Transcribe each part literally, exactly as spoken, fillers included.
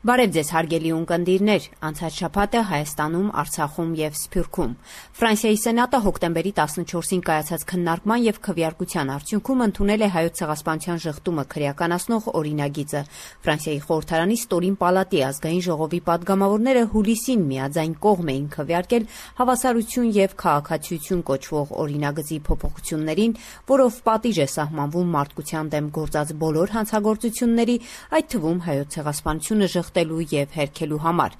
Բարև ձեզ հարգելի ունկնդիրներ, անցած շաբաթը Հայաստանում, Արցախում եւ Սփյուռքում։ Ֆրանսիայի Սենատը հոկտեմբերի տասնչորսին կայացած քննարկման եւ քվեարկության արդյունքում ընդունել է Հայոց ցեղասպանության ժխտումը քրեականացնող օրինագիծը։ Ֆրանսիայի խորհրդարանի ստորին պալատի ազգային ժողովի պատգամավորները հուլիսին միաձայն կողմ էին քվեարկել հավասարություն եւ քաղաքացիություն կոչվող օրինագծի փոփոխություններին, որով պատիժ է սահմանվում մարդկության դեմ գործած բոլոր հանցագործությունների, այդ թվում Հայոց ցեղասպանությունը ժխտելու եւ հերքելու համար։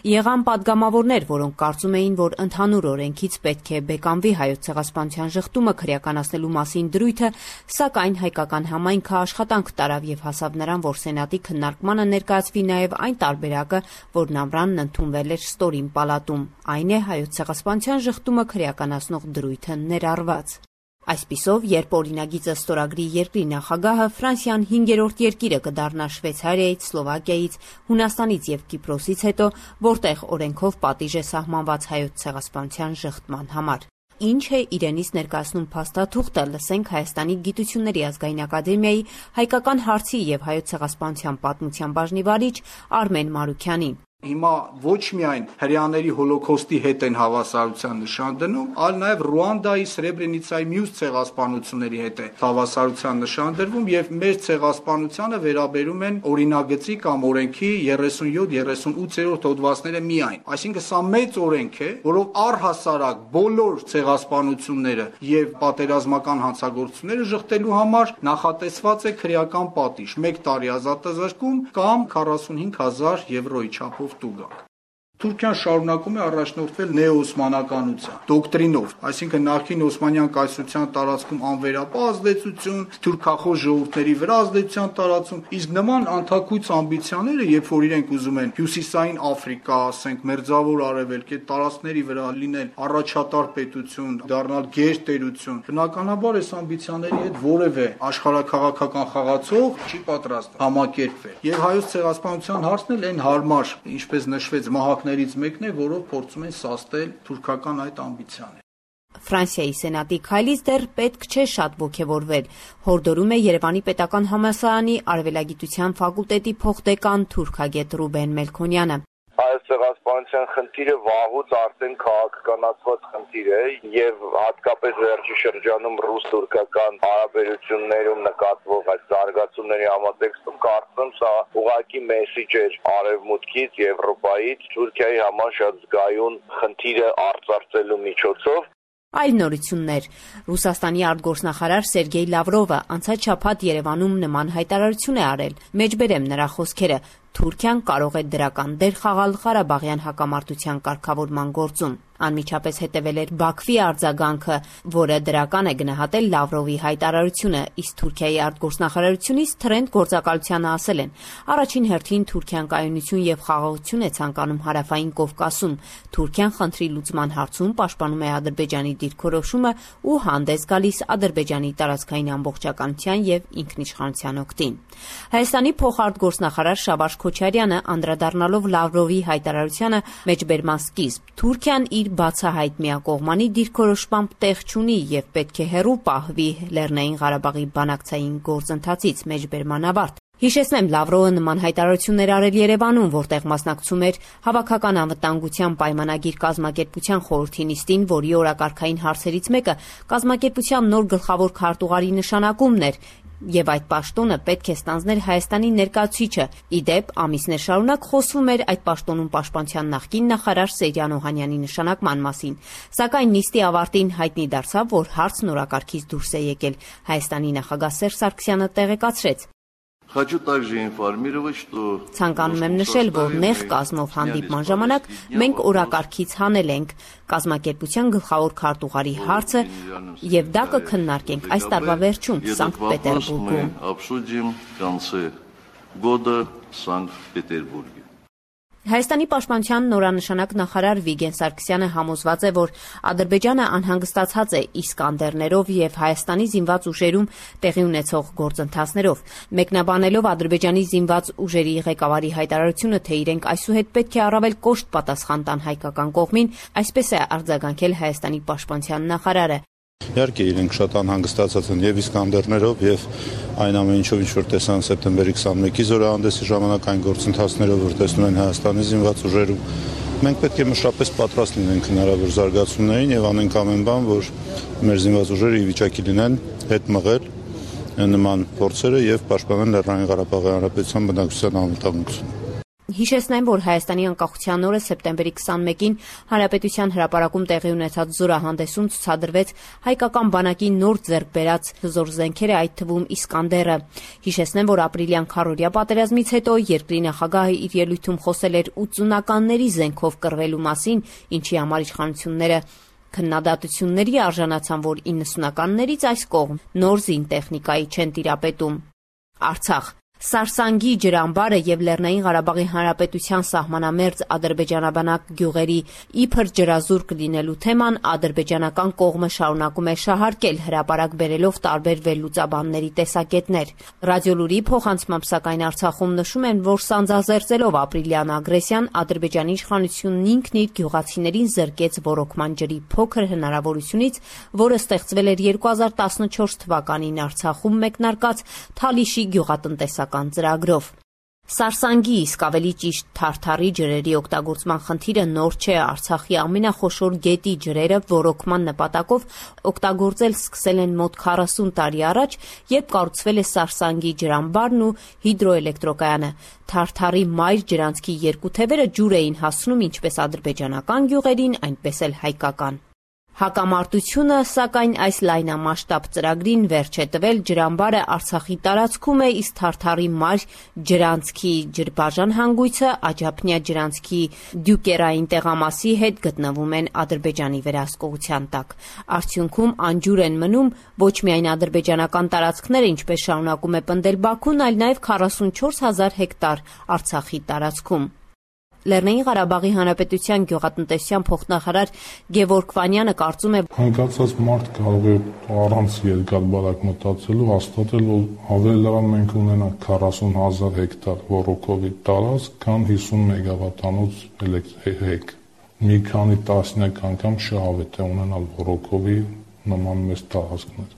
Եղան պատգամավորներ, որոնք կարծում էին, որ ընդհանուր օրենքից պետք է բեկանվի Հայոց ցեղասպանության ժխտումը քրեականացնելու մասին դրույթը, սակայն հայկական համայնքը աշխատանք տարավ եւ հասավ նրան, որ Սենատի քննարկմանը ներկայացվի նաեւ այն տարբերակը, որն ամռանն ընդունվել էր ստորին պալատում, այն է Հայոց ցեղասպանության ժխտումը քրեականացնող դրույթը ներառված։ Այսպիսով, երբ օրինագիծը ստորագրի երկրի նախագահը, Ֆրանսիան հինգերորդ երկիրը կդառնա Շվեյցարիայից, Սլովակիայից, Հունաստանից եւ Կիպրոսից հետո, որտեղ օրենքով պատիժ է սահմանված Հայոց ցեղասպանության ժխտման համար։ Ինչ է իրենից ներկայացնում փաստաթուղթը, լսենք Հայաստանի Գիտությունների ազգային ակադեմիայի հայկական հարցի եւ Հայոց ցեղասպանության պատմության բաժնի վարիչ Արմեն Մարուքյանին։ Հիմա ոչ միայն հրեաների հոլոքոստի հետ են հավասարության նշան դնում, այլ նաև Ռուանդայի, Սրեբրենիցայի մյուս ցեղասպանությունների հետ է հավասարության նշան դրվում եւ մեր ցեղասպանությանը վերաբերում են օրինագծի կամ օրենքի երեսունյոթ երեսունութերորդ հոդվածները միայն։ Այսինքն սա մեծ օրենք է, որով առհասարակ բոլոր ցեղասպանությունները եւ պատերազմական հանցագործությունները ժխտելու համար նախատեսված է քրեական պատիժ՝ մեկ տարի ազատազրկում կամ քառասունհինգ հազար եվրոյի չափով տուգակ։ Թուրքիան շարունակում է առաջնորդվել նեոօսմանականության դոկտրինով, այսինքն նախկին Օսմանյան կայսրության տարածքում անվերապահ ազդեցություն, թուրքախոս ժողովուրդների վրա ազդեցության տարածում, իսկ նման անթաքույց ամբիցիաները, երբ որ իրենք ուզում են հյուսիսային Աֆրիկա, ասենք Մերձավոր Արևելք, այդ տարածքների վրա լինել առաջատար պետություն, դառնալ գերտերություն, բնականաբար այս ամբիցիաների հետ որևէ աշխարհաքաղաքական խաղացող չի պատրաստ համակերպվել։ Եվ Հայոց ցեղասպանության հարցն էլ այն հարմար, ինչպես նշվեց, մահակ ներից մեկն է, որով փորձում են սաստել թուրքական այդ ամբիցիաները։ Ֆրանսիայի Սենատի քայլից դեռ պետք չէ շատ ոգևորվել, հորդորում է Երևանի պետական համալսարանի արևելագիտության ֆակուլտետի փոխդեկան թուրքագետ Ռուբեն Մելքոնյանը։ Հայոց ցեղասպանության խնդիրը վաղուց արդեն քաղաքականացված խնդիր է եւ հատկապես վերջի շրջանում ռուս-թուրքական հարաբերություններում նկատվող այս զարգացումների համատեքստում կարծում սա ուղղակի մեսիջ էր արևմուտքից, Եվրոպայից Թուրքիայի համար շատ զգայուն խնդիրը արծարծելու միջոցով։ Այլ նորություններ։ Ռուսաստանի արտգործնախարար Սերգեյ Լավրովը անցած շաբաթ Երևանում նման հայտարարություն է արել։ Մեջբերեմ նրա խոսքերը. Թուրքիան կարող է դրական դեր խաղալ Ղարաբաղյան հակամարտության կարգավորման գործում։ Անմիջապես հետևել էր Բաքվի արձագանքը, որը դրական է գնահատել Լավրովի հայտարարությունը, իսկ Թուրքիայի արտգործնախարարությունից Թրենդ գործակալությանը ասել են. առաջին հերթին Թուրքիան կայունություն եւ խաղաղություն է ցանկանում հարավային Կովկասում։ Թուրքիան խնդրի լուծման հարցում պաշտպանում է Ադրբեջանի դիրքորոշումը ու հանդես գալիս Ադրբեջանի տարածքային ամբողջականության եւ ինքնիշխանության օգտին։ Հայաստանի փոխարտգործնախարար Շավարժ Քոչարյանը անդրադառնալով Լավրովի հայտարարությանը մեջբերման սկիզբ Թուրքիան իր բացահայտ միակողմանի դիրքորոշմամբ տեղ չունի եւ պետք է հեռու պահվի Լեռնային Ղարաբաղի բանակցային գործընթացից մեջբերման ավարտ։ Հիշեցնեմ, Լավրովը նման հայտարարություններ արել Երևանում, որտեղ մասնակցում էր Հավաքական անվտանգության պայմանագիր կազմակերպության խորհրդի նիստին, որի օրակարգային հարցերից մեկը կազմակերպության նոր գլխավոր քարտուղարի նշանակումն էր, եւ այդ պաշտոնը պետք է ստանձներ Հայաստանի ներկայացուցիչը։ Ի դեպ, ամիսներ շարունակ խոսվում էր այդ պաշտոնում պաշտպանության նախկին նախարար Սերյան Օհանյանի նշանակման մասին, սակայն նիստի ավարտին հայտնի դարձավ, որ հարցն օրակարգից դուրս է եկել։ Հայաստանի նախագահ Սերժ Սարգսյանը տեղեկացրեց. Хочу также информировать, что Ցանկանում եմ նշել, որ նեղ կազմով հանդիպման ժամանակ մենք օրակարգից հանել ենք կազմակերպության գլխավոր քարտուղարի հարցը եւ դա կքննարկենք այս տարվա վերջում Սանկտ Պետերբուրգում։ Հայաստանի պաշտպանության նորանշանակ նախարար Վիգեն Սարգսյանը համոզված է, որ Ադրբեջանը անհանգստացած է Իսկանդերներով եւ Հայաստանի զինված ուժերում տեղի ունեցող գործընթացներով։ Մեկնաբանելով Ադրբեջանի զինված ուժերի ղեկավարի հայտարարությունը, թե իրենք այսուհետ պետք է առավել կոշտ պատասխան տան հայկական կողմին, այսպես է արձագանքել Հայաստանի պաշտպանության նախարարը։ Իհարկե իրենք շատ անհանգստացած են եւ Իսկանդերներով եւ այն ամեն ինչով ինչ որ տեսան սեպտեմբերի քսանմեկի զորահանդեսի ժամանակ այն գործընթացներով, որ տեսնում են Հայաստանի զինված ուժերում։ Մենք պետք է մշտապես պատրաստ լինենք հնարավոր զարգացումներին եւ անենք ամեն բան, որ մեր զինված ուժերը ի վիճակի լինեն հետ մղել նման փորձերը եւ պաշտպանել Լեռնային Ղարաբաղի Հանրապետության բնակչության անվտանգությունը։ Հիշեցնեմ, որ Հայաստանի անկախության օրը սեպտեմբերի քսանմեկին Հանրապետության հրապարակում տեղի ունեցած զորահանդեսում ցուցադրվեց հայկական բանակի նոր ձեռք բերած հզոր զենքերը, այդ թվում Իսկանդերը։ Հիշեցնեմ, որ ապրիլյան քառօրյա պատերազմից հետո երկրի նախագահը իր ելույթում խոսել էր ութսունականների զենքով կռվելու մասին, ինչի համար իշխանությունները քննադատությունների արժանացան, որ իննսունականներից այս կողմ նոր զինտեխնիկայի չեն տիրապետում։ Արցախ Սարսանգի ջրամբարը եւ Լեռնային Ղարաբաղի Հանրապետության սահմանամերձ ադրբեջանաբանակ գյուղերի իբր ջրազուրկ լինելու թեման ադրբեջանական կողմը շարունակում է շահարկել, հրապարակ բերելով տարբեր վերլուծաբանների տեսակետներ։ Ռադիոլուրի փոխանցմամբ սակայն Արցախում նշում են, որ սանձազերծելով ապրիլյան ագրեսիան, Ադրբեջանի իշխանությունն ինքն իր գյուղացիներին զրկեց ոռոգման ջրի փոքր հնարավորությունից, որը ստեղծվել էր երկու հազար տասնչորս թվականին Արցախում մեկնարկած Թալիշի գյուղատնտեսական ծրագրով։ Սարսանգի, իսկ ավելի ճիշտ Թարթարի ջրերի օգտագործման խնդիրը նոր չէ։ Արցախի ամենախոշոր գետի ջրերը ոռոգման նպատակով օգտագործել սկսել են մոտ քառասուն տարի առաջ, երբ կառուցվել է Սարսանգի ջրամբարն ու հիդրոէլեկտրակայանը։ Թարթարի մայր ջրանցքի երկու թևերը ջուր էին հասցնում ինչպես ադրբեջանական գյուղերին, այնպես էլ հայկական։ Հակամարտությունը, սակայն այս լայնամասշտաբ ծրագրին վերջ է տվել, ջրամբարը Արցախի տարածքում է, իսկ Թարթարի մայր ջրանցքի ջրբաժան հանգույցը Աջափնյա ջրանցքի դյուկերային տեղամասի հետ գտնվում են Ադրբեջանի վերահսկողության տակ։ Արդյունքում անջուր են մնում ոչ միայն ադրբեջանական տարածքները, ինչպես շարունակում է պնդել Բաքուն, այլ նաև քառասունչորս հազար հեկտար Արցախի տարածքում։ Լեռնային Ղարաբաղի Հանրապետության գյուղատնտեսության փոխնախարար Գևորգ Վանյանը կարծում է, հանգացած մարդ կարող է առանց երկար բարակ մտածելու հաստատել, որ ավելի լավ մենք ունենանք քառասուն հազար հեկտար ոռոգովի տարածք, քան հիսուն մեգավատանոց էլեկտրիկ։ Մի քանի տասնյակ անգամ շահավետ է ունենալ ոռոգովի նման մեծ տարածքներ։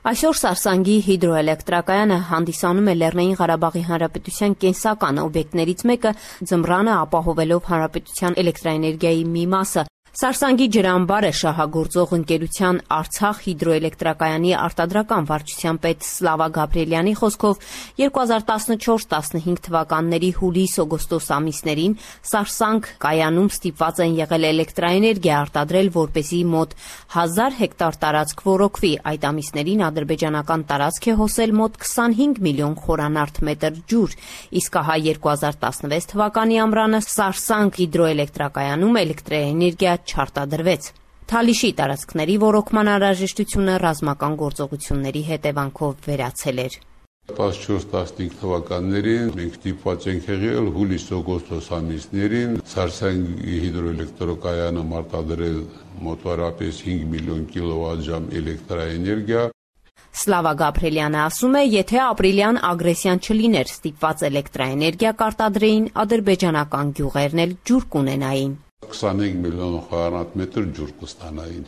Այսօր Սարսանգի հիդրոէլեկտրակայանը հանդիսանում է Լեռնային Ղարաբաղի Հանրապետության կենսական օբյեկտներից մեկը, ձմռանը ապահովելով հանրապետության էլեկտրաէներգիայի մի մասը։ Սարսանգի ջրամբարը շահագործող ընկերության Արցախ հիդրոէլեկտրակայանի արտադրական վարչության պետ Սլավա Գաբրիելյանի խոսքով երկու հազար տասնչորս տասնհինգ թվականների հուլիս-օգոստոս ամիսներին Սարսանգ կայանում ստիպված են եղել էլեկտրաէներգիա արտադրել, որպեսզի մոտ հազար հեկտար տարածք ոռոգվի։ Այդ ամիսներին ադրբեջանական տարածք է հոսել մոտ քսանհինգ միլիոն խորանարդ մետր ջուր, իսկ ահա երկու հազար տասնվեց թվականի ամռանը Սարսանգ հիդրոէլեկտրակայանում էլեկտրաէներգիա չարտադրվեց։ Թալիշի տարածքների ոռոգման անհրաժեշտությունը ռազմական գործողությունների հետևանքով վերացել էր։ տասնչորս տասնհինգ թվականներին մենք ստիպված ենք եղել հուլիս-օգոստոս ամիսներին Սարսանգի հիդրոէլեկտրակայանը արտադրել մոտավորապես հինգ միլիոն կիլովատժամ էլեկտրաէներգիա։ Սլավա Գաբրիելյանը ասում է, եթե ապրիլյան ագրեսիան չլիներ, ստիպված էլեկտրաէներգիա կարտադրեին, ադրբեջանական գյուղերն էլ ջուր կունենային։ քսանհինգ միլիոն խորանարդ մետր ջուր կստանային։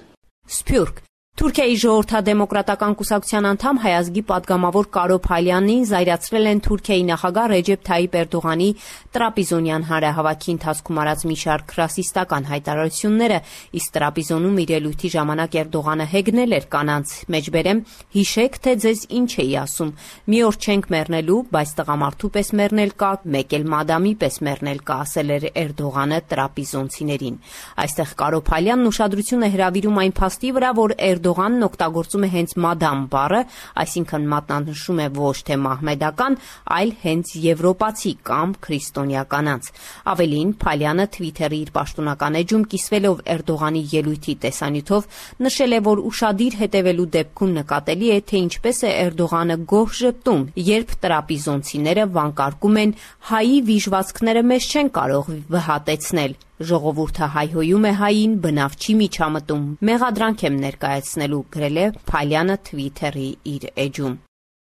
Սփյուռք Թուրքիայի ժողովրդադեմոկրատական կուսակցության անդամ հայազգի падգամավոր Կարո Փալյանին զայրացրել են Թուրքիայի նախագահ Ռեջեփ Թայիպ Էրդողանի տրապիզոնյան հանրահավաքի ընթացքում արած մի շարք ռասիստական հայտարարությունները, իսկ տրապիզոնում իր ելույթի ժամանակ Էրդողանը հեգնել էր կանանց, մեջբերեմ, հիշեք, թե ձեզ ինչ էի ասում, մի օր չենք մեռնելու, բայց տղամարդու պես մեռնել կա, մեկ էլ մադամի պես մեռնել կա, ասել էր Էրդողանը տրապիզոնցիներին։ Այստեղ Կարո Փալյանն ուշադրություն է հրավիրում այն փաստի վրա, որ Էրդողանն օգտագործում է հենց մադամ բառը, այսինքն մատնանշում է ոչ թե մահմեդական, այլ հենց եվրոպացի կամ քրիստոնյա կանանց։ Ավելին, Փալյանը Թվիթերի իր պաշտոնական էջում կիսվելով Էրդողանի ելույթի տեսանյութով նշել է, որ ուշադիր հետևելու դեպքում նկատելի է, թե ինչպես է Էրդողանը գոհ ժպտում, երբ տրապիզոնցիները վանկարկում են հայի վիժվածքները մեզ չեն կարող վհատեցնել։ Ժողովուրդը հայհոյում է հային, բնավ չի միջամտում, մեղադրանք եմ ներկայացնելու, գրել է Փալյանը Թվիթերի իր էջում։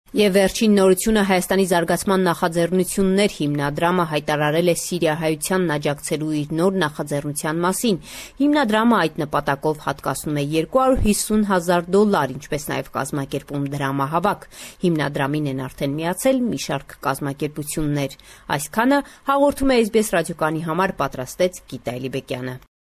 Եվ վերջին նորությունը Հայաստանի զարգացման նախաձեռնություններ հիմնադրամը հայտարարել է սիրիահայությանն աջակցելու իր նոր նախաձեռնության մասին։ Հիմնադրամը այդ նպատակով հատկացնում է երկու հարյուր հիսուն հազար դոլար, ինչպես նաև կազմակերպում դրամահավաք։ Հիմնադրամին են արդեն միացել մի շարք կազմակերպություններ։ Այսքանը հաղորդում է Էս Բի Էս ռադիոկայանի համար պատրաստեց Գիտա Էլիբեկյանը։